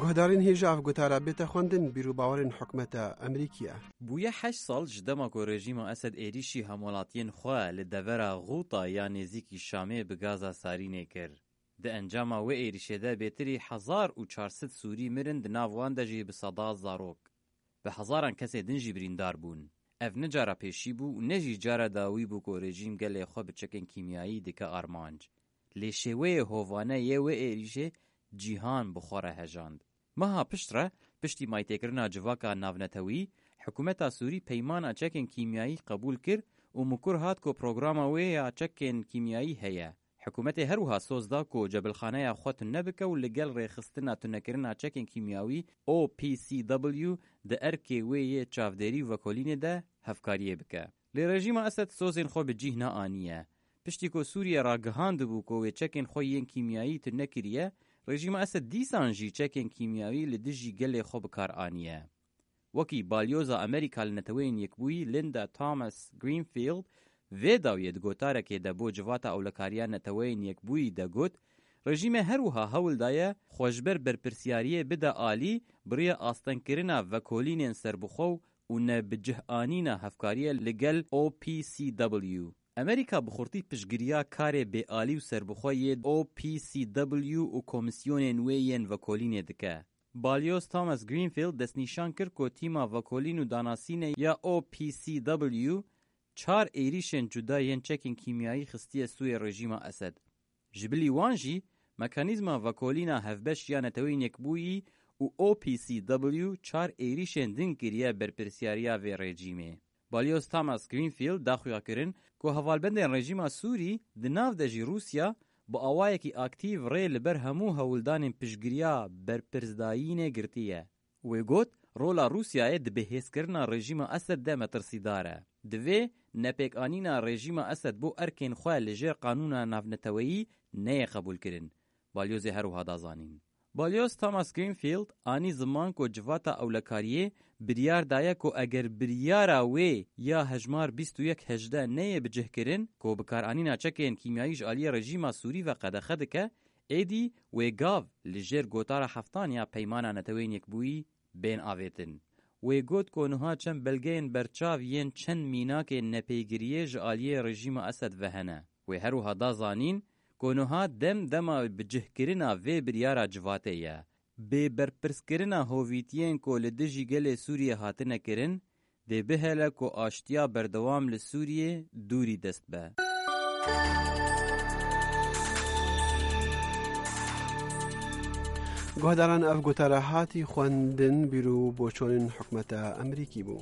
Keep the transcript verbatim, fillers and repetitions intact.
Guhdarên hêja ev gotara bête xwendin, bîr û bawerên hikûmeta Amerîkî ye. Bûye heşt sal ji dema ku rejîma Esed êrîşî hemwelatiyên xwe li devera Xûta ya nêzîkî Şamê bi gaza sarînê kir. Di encama wê êrîşê de bêtirî hezar û çar sed Sûrî mirin, di nav wan de jî bi seda zarok. Bi hezaran kesê din jî birîndar bûn. Ev ne cara pêşî bû û ne jî cara dawî bû ku rejîm gelê xwe bi çekên kîmyayî dike armanc. Lê şêweyê hovane yê wê êrîşê cîhan bi xwe re hejand. Meha pişt re, piştî maytêkirina civaka navnetewî, hikûmeta Sûrî peymana çekên kîmyayî qebûl kir û mikur hat ku programa wê ya çekên kîmyayî heye. Hikûmetê her wiha soz da ku cebilxaneya xwe tune bike û li gel rêxistina tunekirina çekên kîmyawî O P C W di erkê wê yê çavdêrî û vekolînê de hevkariyê bike. Lê rejîma Esed sozên xwe bi cîh neaniye. Piştî ku Sûriye ragihandibû ku wê çekên xwe yên kîmyayî tune kiriye, rejîma Esed dîsan jî çekên kîmyawî li dijî gelê xwe bi kar aniye. Wekî balyoza Amerîka li Neteweyên Yekbûyî Linda Thomas Greenfield vê dawiyê di gotarekê de bo Civata Ewlekariya Neteweyên Yekbûyî de got, rejîmê her wiha hewl daye xwe ji ber berpirsiyariyê bide alî bi riya astengkirina vekolînên serbixwe û nebicihanîna hevkariya li gel O P C W. Amerîka bi xurtî piştgiriya karê bêalî û serbixwe yê O P C W û komîsyonên wê yên vekolînê dike. Balyoz Thomas Greenfield destnîşan kir ku tîma vekolîn û danasînê ya O P C W çar êrîşên cuda yên çekên kîmyayî xistiye sûyê rejîma Esed. Ji bilî wan jî, mekanîzma vekolîna hevbeş ya Neteweyên Yekbûyî û O P C W çar êrîşên din kiriye berpirsiyariya vê rejîmê. Balyoz Thomas Greenfield da xuyakirin ku hevalbendên rejîma Sûrî, di nav de jî Rûsya, bi awayekî aktîf rê li ber hemû hewldanên piştgiriya berpirsdayînê girtiye. Wê got, rola Rûsyayê di bihêzkirina rejîma Esed de metirsîdar e. Divê nepêkanîna rejîma Esed bo erkên xwe li jêr qanûna navneteweyî neyê qebûlkirin. Balyozê her wiha da zanîn. Balyoz Thomas Greenfield anî ziman ku civata ewlekariyê biryar daye ku eger biryara wê ya hejmar bîst û yek hejdeh neyê bicihkirin ku bikaranîna çekên kîmyayî ji aliyê rejîma Sûrî ve qedexe dike, êdî wê gav li jêr gotara heftan ya Peymana Neteweyên Yekbûyî bên avêtin. Wê got ku niha çend belgeyên berçav yên çend mînakên nepêgiriyê ji aliyê rejîma Esed ve hene. Wê her wiha da zanîn ku niha dem dema bicihkirina vê biryara civatê ye. Bêberpirskirina hovîtiyên ku li dijî gelê Sûriyê hatine kirin, dê bihêle ku aştiya berdewam li Sûriyê dûrî dest be. Guhdaran, ev gotara hatî xwendin, bîr û boçonên hikûmeta Amerîkî bû.